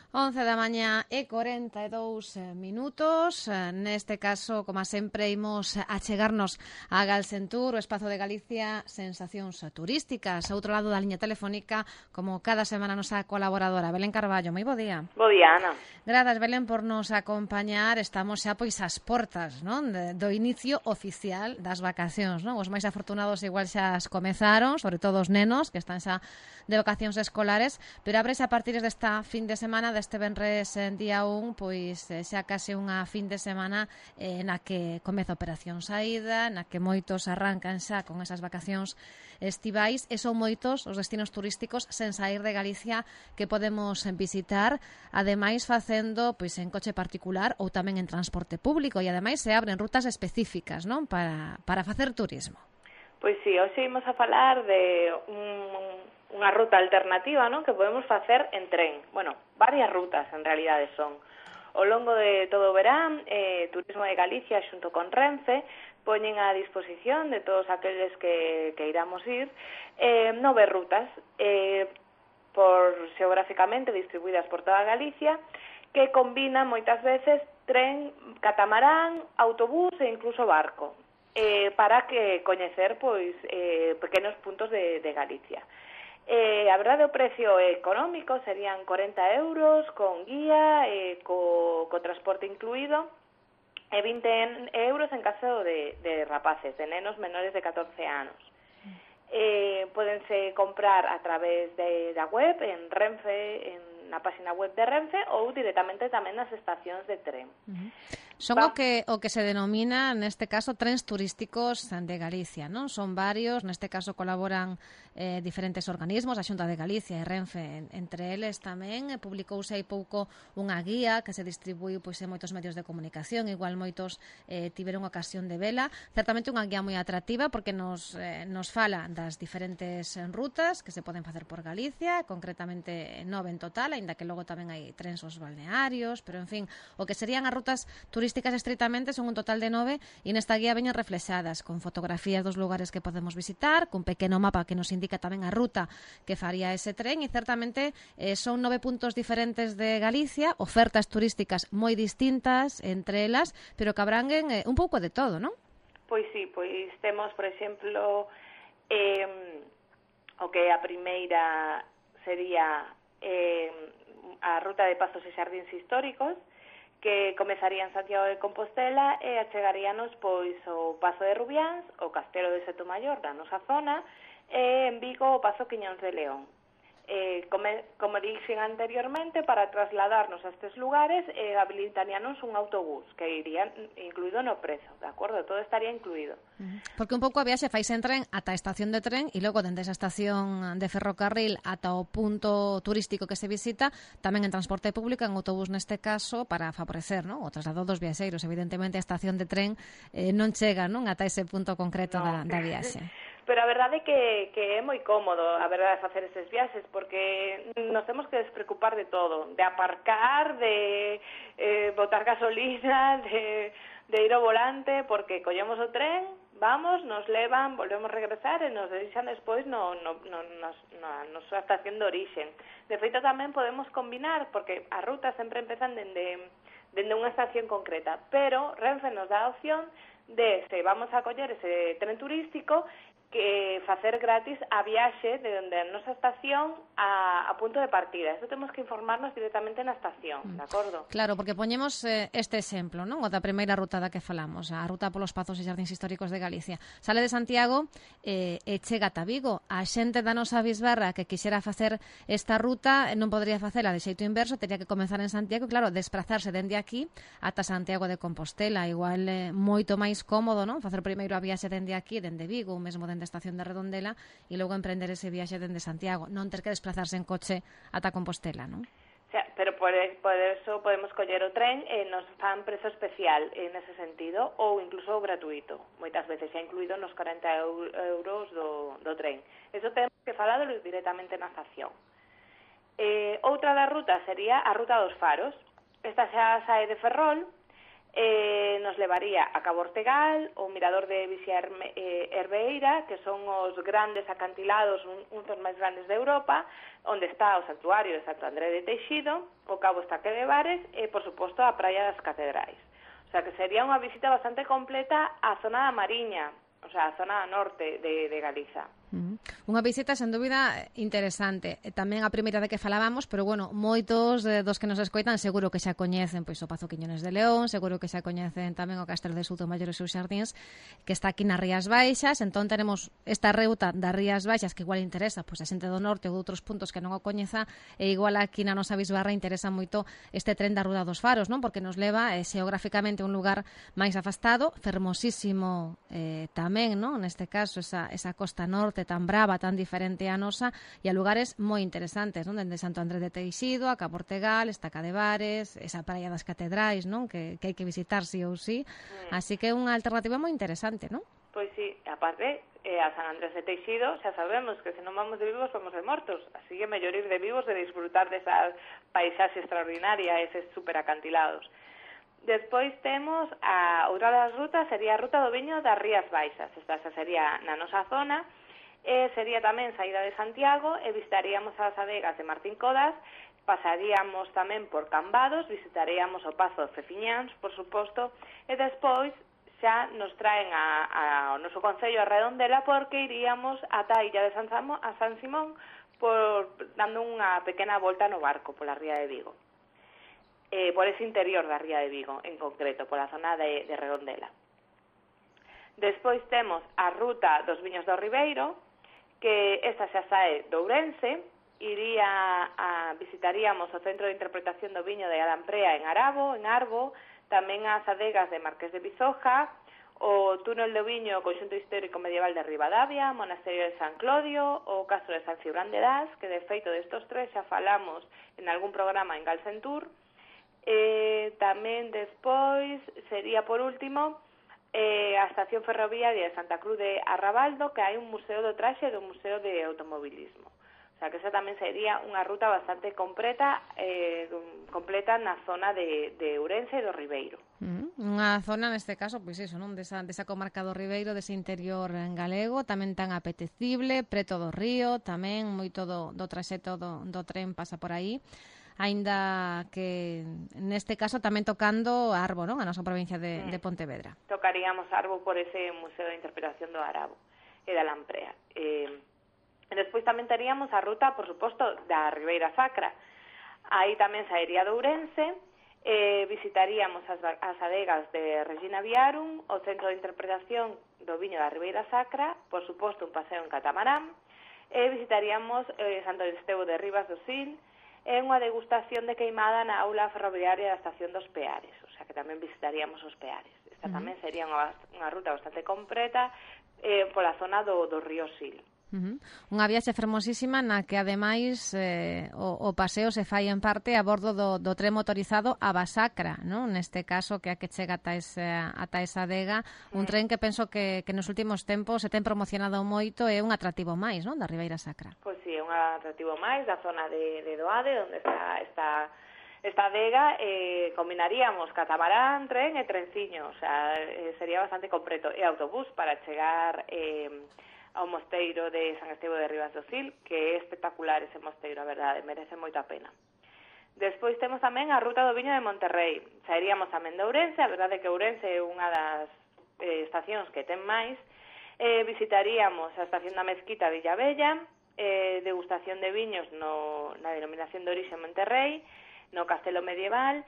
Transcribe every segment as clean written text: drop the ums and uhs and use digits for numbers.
11 da mañá e 42 minutos. Neste caso, como sempre, imos achegarnos a Galsentur, o espazo de Galicia, sensacións turísticas. A outro lado da liña telefónica, como cada semana, nosa colaboradora, Belén Carballo. Moi bo día. Bo día, Ana. Grazas, Belén, por nos acompañar. Estamos xa pois ás portas, non? Do inicio oficial das vacacións, non? Os máis afortunados igual xa as comezaron, sobre todo os nenos, que están xa de vacacións escolares, pero ábrese a partir desta fin de semana, deste venres en día 1, pois xa case unha fin de semana na que comeza a operación saída, na que moitos arrancan xa con esas vacacións estivais, e son moitos os destinos turísticos sen sair de Galicia que podemos visitar, ademais facendo pois en coche particular ou tamén en transporte público, e ademais se abren rutas específicas, non, para facer turismo. Pois sí, hoxe imos a falar de unha ruta alternativa, non, que podemos facer en tren. Bueno, varias rutas en realidade son. Ao longo de todo o verán, Turismo de Galicia xunto con Renfe poñen a disposición de todos aqueles que iramos ir 9 rutas xeográficamente distribuídas por toda Galicia, que combinan moitas veces tren, catamarán, autobús e incluso barco, para que coñecer pois pequenos puntos de Galicia. A verdade, o precio económico serían 40 euros con guía, co transporte incluído, e 20 euros en caso de rapaces, de nenos menores de 14 anos. Pódense comprar a través da web, en Renfe, na página web de Renfe, ou directamente tamén nas estacións de tren. Son o que se denomina, neste caso, trens turísticos de Galicia, non? Son varios, neste caso colaboran diferentes organismos, a Xunta de Galicia e Renfe, entre eles tamén. Publicouse hai pouco unha guía que se distribuiu pois en moitos medios de comunicación, igual moitos tiveron ocasión de vela. Certamente unha guía moi atractiva porque nos fala das diferentes rutas que se poden facer por Galicia, concretamente 9 en total, aínda que logo tamén hai trens aos balnearios, pero en fin, o que serían as rutas turísticas estritamente son un total de 9, e nesta guía veñen reflexadas con fotografías dos lugares que podemos visitar, cun pequeno mapa que nos indica tamén a ruta que faría ese tren, e certamente son 9 puntos diferentes de Galicia, ofertas turísticas moi distintas entre elas, pero que abranguen un pouco de todo, non? Pois sí, pois temos, por exemplo, o que a primeira sería a ruta de Pazos e Xardíns Históricos, que comezaría en Santiago de Compostela e achegaríanos pois o Pazo de Rubiáns, o Castelo de Sotomayor da nosa zona, e en Vigo o Pazo Quiñóns de León. Como dixen anteriormente, para trasladarnos a estes lugares habilitaríanos un autobús que iría incluído no prezo, de acordo? Todo estaría incluído. Porque un pouco a viaxe faise en tren ata a estación de tren, e logo dende esa estación de ferrocarril ata o punto turístico que se visita, tamén en transporte público, en autobús neste caso, para favorecer, non, o traslado dos viaxeiros. Evidentemente a estación de tren non chega, non, ata ese punto concreto da viaxe. Pero a verdade que é moi cómodo, a verdade, facer eses viaxes, porque nos temos que despreocupar de todo, de aparcar, de botar gasolina, de ir ao volante, porque collemos o tren, vamos, nos levan, volvemos a regresar e nos deixan despois na nosa estación de orixen. De feito, tamén podemos combinar, porque as rutas sempre empezan dende unha estación concreta, pero Renfe nos dá a opción de, se vamos a coller ese tren turístico, que facer gratis a viaxe de onde a nosa estación a punto de partida. Eso temos que informarnos directamente na estación, de acordo? Claro, porque poñemos este exemplo, non? O da primeira ruta da que falamos, a ruta polos Pazos e Xardíns Históricos de Galicia. Sale de Santiago e chega ata Vigo. A xente da nosa bisbarra que quixera facer esta ruta non podría facela de xeito inverso, teria que comenzar en Santiago e, claro, desplazarse dende aquí ata Santiago de Compostela. Igual moito máis cómodo, non? Facer primeiro a viaxe dende aquí, dende Vigo, ou mesmo dende estación de Redondela, e logo emprender ese viaxe dende Santiago, non ter que desplazarse en coche ata Compostela, non? O sea, pero por eso podemos coller o tren e nos fan prezo especial en ese sentido, ou incluso gratuito, moitas veces xa incluído nos 40 euros do tren. Eso temos que falalo directamente na estación. Outra das rutas sería a ruta dos Faros. Esta xa sae de Ferrol Nos levaría a Cabo Ortegal, o Mirador de Vixia Herbeira, que son os grandes acantilados, uns dos máis grandes de Europa, onde está o santuario de Santo André de Teixido, o Cabo Estaque de Bares e, por suposto, a Praia das Catedrais. O sea, que sería unha visita bastante completa á zona da Mariña, o sea, a zona norte de Galiza. Unha visita, sen dúbida, interesante. Tamén a primeira de que falábamos, pero, bueno, moitos dos que nos escoitan seguro que xa coñecen pois o Pazo Quiñones de León, seguro que xa coñecen tamén o Castelo de Soutomaior e os seus xardíns, que está aquí nas Rías Baixas. Entón, tenemos esta ruta das Rías Baixas que igual interesa pois a xente do norte ou de outros puntos que non o coñeza, e igual aquí na nosa Bisbarra interesa moito este tren da Ruda dos Faros, non? Porque nos leva xeográficamente a un lugar máis afastado, fermosísimo tamén, non? Neste caso, esa costa norte tan brava, tan diferente a nosa, e a lugares moi interesantes, non? Dende Santo André de Teixido, a Cabo Ortegal, Estaca de Bares, esa Praia das Catedrais, non? Que hai que visitar sí ou sí. Así que é unha alternativa moi interesante, non? Pois sí, aparte, a San Andrés de Teixido xa sabemos que se non vamos de vivos vamos de mortos, así que mellor ir de vivos de disfrutar desa paisaxe extraordinaria, eses superacantilados. Despois temos a outra das rutas, sería a ruta do viño das Rías Baixas. Esta xa sería na nosa zona, sería tamén saída de Santiago e visitaríamos as adegas de Martín Codas, pasaríamos tamén por Cambados, visitaríamos o Pazo de Feciñáns, por suposto, e despois xa nos traen ao noso concello a Redondela, porque iríamos ata a illa de San Simón dando unha pequena volta no barco pola ría de Vigo, por ese interior da ría de Vigo en concreto, pola zona de Redondela. Despois temos a ruta dos Viños do Ribeiro, que esta xa sae de Ourense, visitaríamos o Centro de Interpretación do Viño de Alamprea en Arbo, tamén as adegas de Marqués de Bizoja, o Túnel do Viño, o Conxunto Histórico Medieval de Ribadavia, Monasterio de San Clodio, o Castro de San Cibrán de Das, que de feito destos tres xa falamos en algún programa en Galcentur. Tamén despois sería por último a estación ferroviaria de Santa Cruz de Arrabaldo, que hai un museo do traxe e un museo de automobilismo. O sea, que esa tamén sería unha ruta bastante completa na zona de Ourense e do Ribeiro. Unha zona, neste caso, pois iso, non? Desa comarca do Ribeiro, dese interior galego, tamén tan apetecible, preto do río, tamén moito do traxeto do tren pasa por aí, aínda que neste caso tamén tocando Arbo, non? A nosa provincia de Pontevedra. Tocaríamos Arbo por ese Museo de Interpretación do Arabo e da Lamprea. Despois tamén teríamos a ruta, por suposto, da Ribeira Sacra. Aí tamén saería de Ourense, visitaríamos as adegas de Regina Viarum, o Centro de Interpretación do Viño da Ribeira Sacra, por suposto un paseo en catamarán, visitaríamos Santo Estevo de Ribas do Sil, é unha degustación de queimada na aula ferroviaria da estación dos Peares, o sea que tamén visitaríamos os Peares. Esta tamén sería unha ruta bastante completa pola zona do río Sil. Unha viaxe fermosísima na que ademais o paseo se fai en parte a bordo do tren motorizado a Basacra, non? Neste caso que a que chega ata esa adega, un tren que penso que nos últimos tempos se ten promocionado moito, é un atractivo máis, non? Da Ribeira Sacra. Pois si, é un atractivo máis da zona de Doade, onde está esta adega, combinaríamos catamarán, tren e trenciño, o sea, sería bastante completo, e autobús para chegar ao mosteiro de San Estevo de Ribas do Sil, que é espectacular ese mosteiro, a verdade, merece moito a pena. Despois temos tamén a ruta do Viño de Monterrey. Saeríamos tamén de Ourense, a verdade é que Ourense é unha das estacións que ten máis. Visitaríamos a estación da Mezquita de Villavella, degustación de viños na denominación de orixe Monterrey, no Castelo Medieval,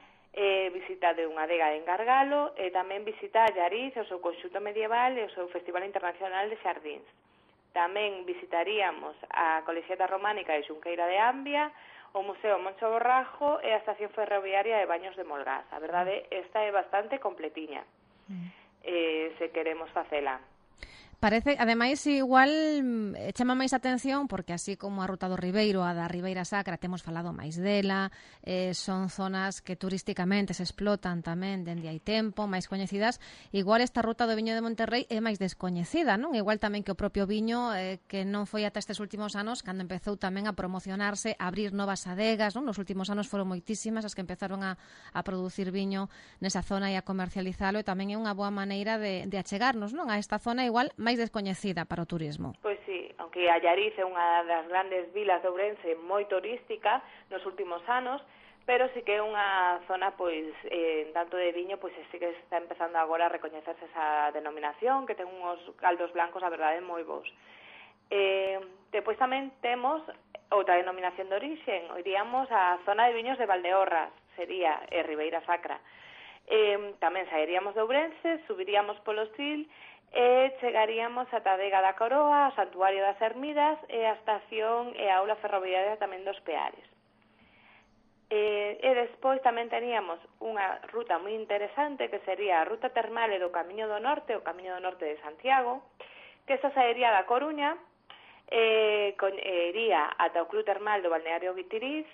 visita de unha adega en Gargalo, e tamén visita a Llariz, o seu conxunto medieval e o seu Festival Internacional de Xardíns. Tamén visitaríamos a Colexiata Románica de Xunqueira de Ambia, o Museo Moncho Borrajo e a Estación Ferroviaria de Baños de Molgás. A verdade, esta é bastante completiña, se queremos facela. Parece, ademais, igual chama máis atención porque así como a Ruta do Ribeiro, a da Ribeira Sacra, temos falado máis dela, son zonas que turísticamente se explotan tamén dende hai tempo, máis coñecidas. Igual esta ruta do viño de Monterrey é máis descoñecida, non? Igual tamén que o propio viño, que non foi ata estes últimos anos cando empezou tamén a promocionarse, a abrir novas adegas, non? Nos últimos anos foron moitísimas as que empezaron a producir viño nesa zona e a comercializalo, e tamén é unha boa maneira de achegarnos, non? A esta zona igual máis descoñecida para o turismo. Pois sí, aunque Allariz é unha das grandes vilas de Ourense moi turística nos últimos anos, pero sí que é unha zona, pois, tanto de viño, pois sí que está empezando agora a recoñecerse esa denominación, que ten uns caldos blancos, a verdade, moi bons. Depois tamén temos outra denominación de orixen, iríamos a zona de viños de Valdeorras, sería Ribeira Sacra. Tamén sairíamos de Ourense, subiríamos polo Sil, e chegaríamos a Adega da Coroa, ao Santuario das Ermidas e a estación e a aula ferroviaria tamén dos Peares. E despois tamén teníamos unha ruta moi interesante que sería a ruta termal e do Camiño do Norte, o Camiño do Norte de Santiago, que esta sairía da Coruña, iría ata o Club Termal do Balneario Guitiriz,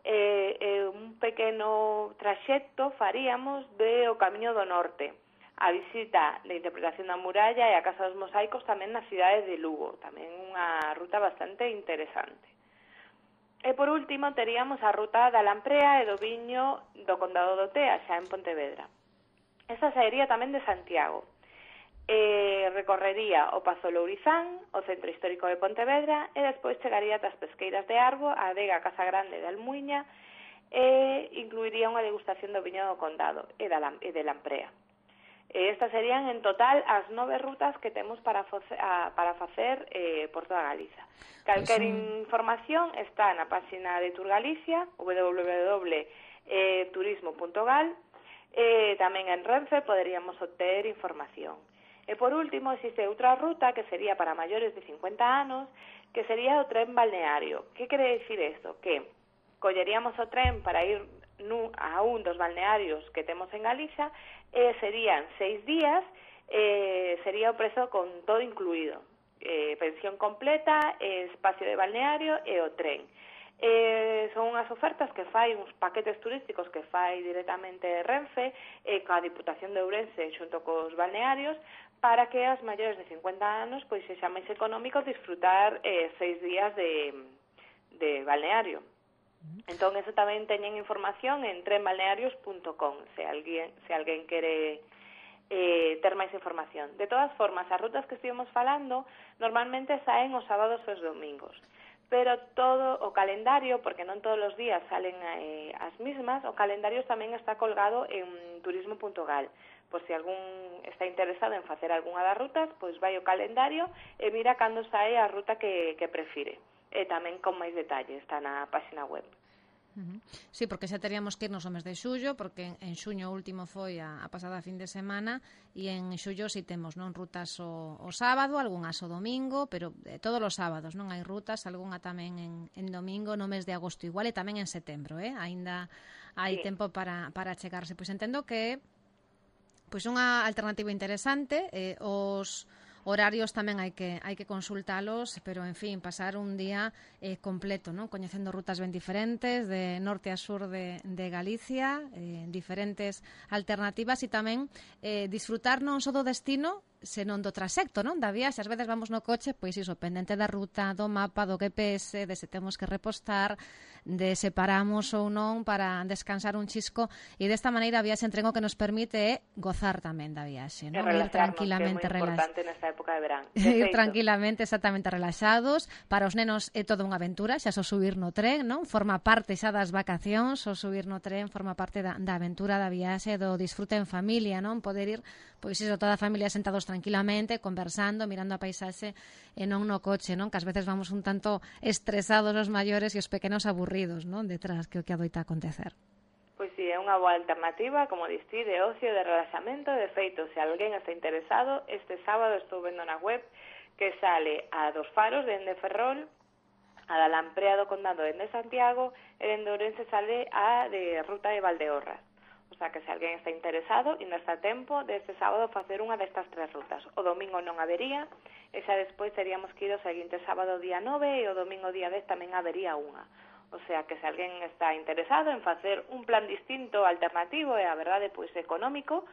un pequeno traxecto faríamos de o Camiño do Norte, a visita de interpretación da muralla e a Casa dos Mosaicos tamén na cidade de Lugo, tamén unha ruta bastante interesante. E por último teríamos a ruta da Lamprea e do viño do Condado do Tea, xa en Pontevedra. Esta sairía tamén de Santiago. Recorrería o Pazo Lourizán, o Centro Histórico de Pontevedra, e despois chegaría ata as Pesqueiras de Arbo, a adega Casa Grande de Almuiña, e incluiría unha degustación do viño do Condado e de Lamprea. Estas serían en total as 9 rutas que temos para facer por toda Galiza. Calquer información está na página de Tour Galicia, www.turismo.gal, tamén en Renfe poderíamos obter información. E por último, existe outra ruta que sería para maiores de 50 anos, que sería o tren balneario. Que quere dicir isto? Que colleríamos o tren para ir a un dos balnearios que temos en Galicia, serían 6 días, sería o prezo con todo incluído, pensión completa, espacio de balneario e o tren. Son unhas ofertas que fai, uns paquetes turísticos que fai directamente Renfe, coa Diputación de Ourense xunto cos balnearios, para que as maiores de 50 anos pois sexa máis económico disfrutar 6 días de balneario. Entón, eso tamén teñen información en trenbalnearios.com, se alguén quere ter máis información. De todas formas, as rutas que estivemos falando normalmente saen os sábados e os domingos, pero todo o calendario, porque non todos os días salen as mismas, o calendario tamén está colgado en turismo.gal. Por se algún está interesado en facer algunha das rutas, pois vai ao calendario e mira cando sae a ruta que prefire. E tamén con máis detalle, está na página web. Sí, porque xa teríamos que irnos ao mes de xullo, porque en xuño último foi a pasada fin de semana, e en xullo si temos non rutas o sábado, algunhas o domingo, pero todos os sábados non hai rutas, algunha tamén en domingo no mes de agosto igual, e tamén en setembro, aínda hai tempo para chegarse. Pois entendo que pois unha alternativa interesante, os horarios tamén hai que consultalos, pero, en fin, pasar un día completo, non? Coñecendo rutas ben diferentes, de norte a sur de Galicia, diferentes alternativas, e tamén disfrutar non só do destino, senón do traxecto, non? Da viaxe. Ás veces vamos no coche, pois iso, pendente da ruta, do mapa, do GPS, de se temos que repostar, de se paramos ou non para descansar un chisco, e desta maneira a viaxe en tren o que nos permite gozar tamén da viaxe, non? Ir tranquilamente ir tranquilamente, exactamente, relaxados. Para os nenos é toda unha aventura, xa só subir no tren, non? Forma parte xa das vacacións, o subir no tren forma parte da aventura da viaxe, do disfrute en familia, non? Poder ir, pois iso, toda a familia sentados tranquilamente, conversando, mirando a paisaxe e non no coche, non? Que ás veces vamos un tanto estresados os maiores e os pequenos aburridos, non? Detrás, que o que adoita acontecer. Pois sí, é unha boa alternativa, como distí, de ocio, de relaxamento. De feito, se alguén está interesado, este sábado estou vendo na web que sale a dos Faros dende Ferrol, a da Lamprea do Condado dende Santiago, e dende Ourense sale a de Ruta de Valdeorras. O sea, que se alguén está interesado, ainda está a tempo deste sábado facer unha destas 3 rutas. O domingo non habería, e xa despois teríamos que ir o seguinte sábado día 9 e o domingo día 10 tamén habería unha. O sea, que se alguén está interesado en facer un plan distinto, alternativo e, a verdade, pois económico,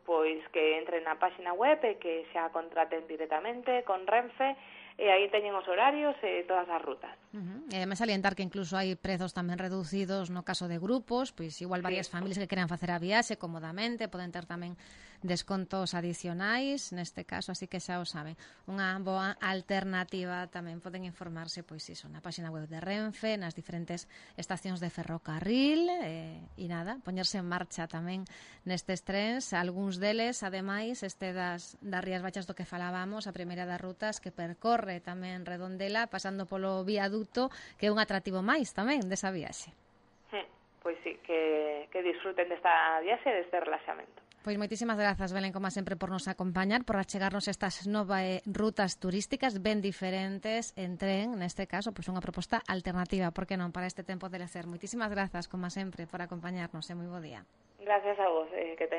pois que entren na páxina web e que xa contraten directamente con Renfe, e aí teñen os horarios e todas as rutas. Me salientar que incluso hai prezos tamén reducidos no caso de grupos, pois igual varias familias que queran facer a viaxe cómodamente, poden ter tamén descontos adicionais neste caso, así que xa o saben, unha boa alternativa. Tamén poden informarse pois iso na páxina web de Renfe, nas diferentes estacións de ferrocarril, e nada, poñerse en marcha tamén nestes trens, algúns deles, ademais, das Rías Baixas do que falábamos, a primeira das rutas que percorre tamén Redondela, pasando polo viaduto, que é un atractivo máis tamén desa viaxe. Pois sí, que disfruten desta viaxe e deste relaxamento. Pois moitísimas grazas, Belén, como sempre, por nos acompañar, por achegarnos estas novas rutas turísticas ben diferentes en tren, neste caso, pois unha proposta alternativa, por que non, para este tempo de lecer. Moitísimas grazas, como sempre, por acompañarnos, e moi bo día. Gracias a vos, que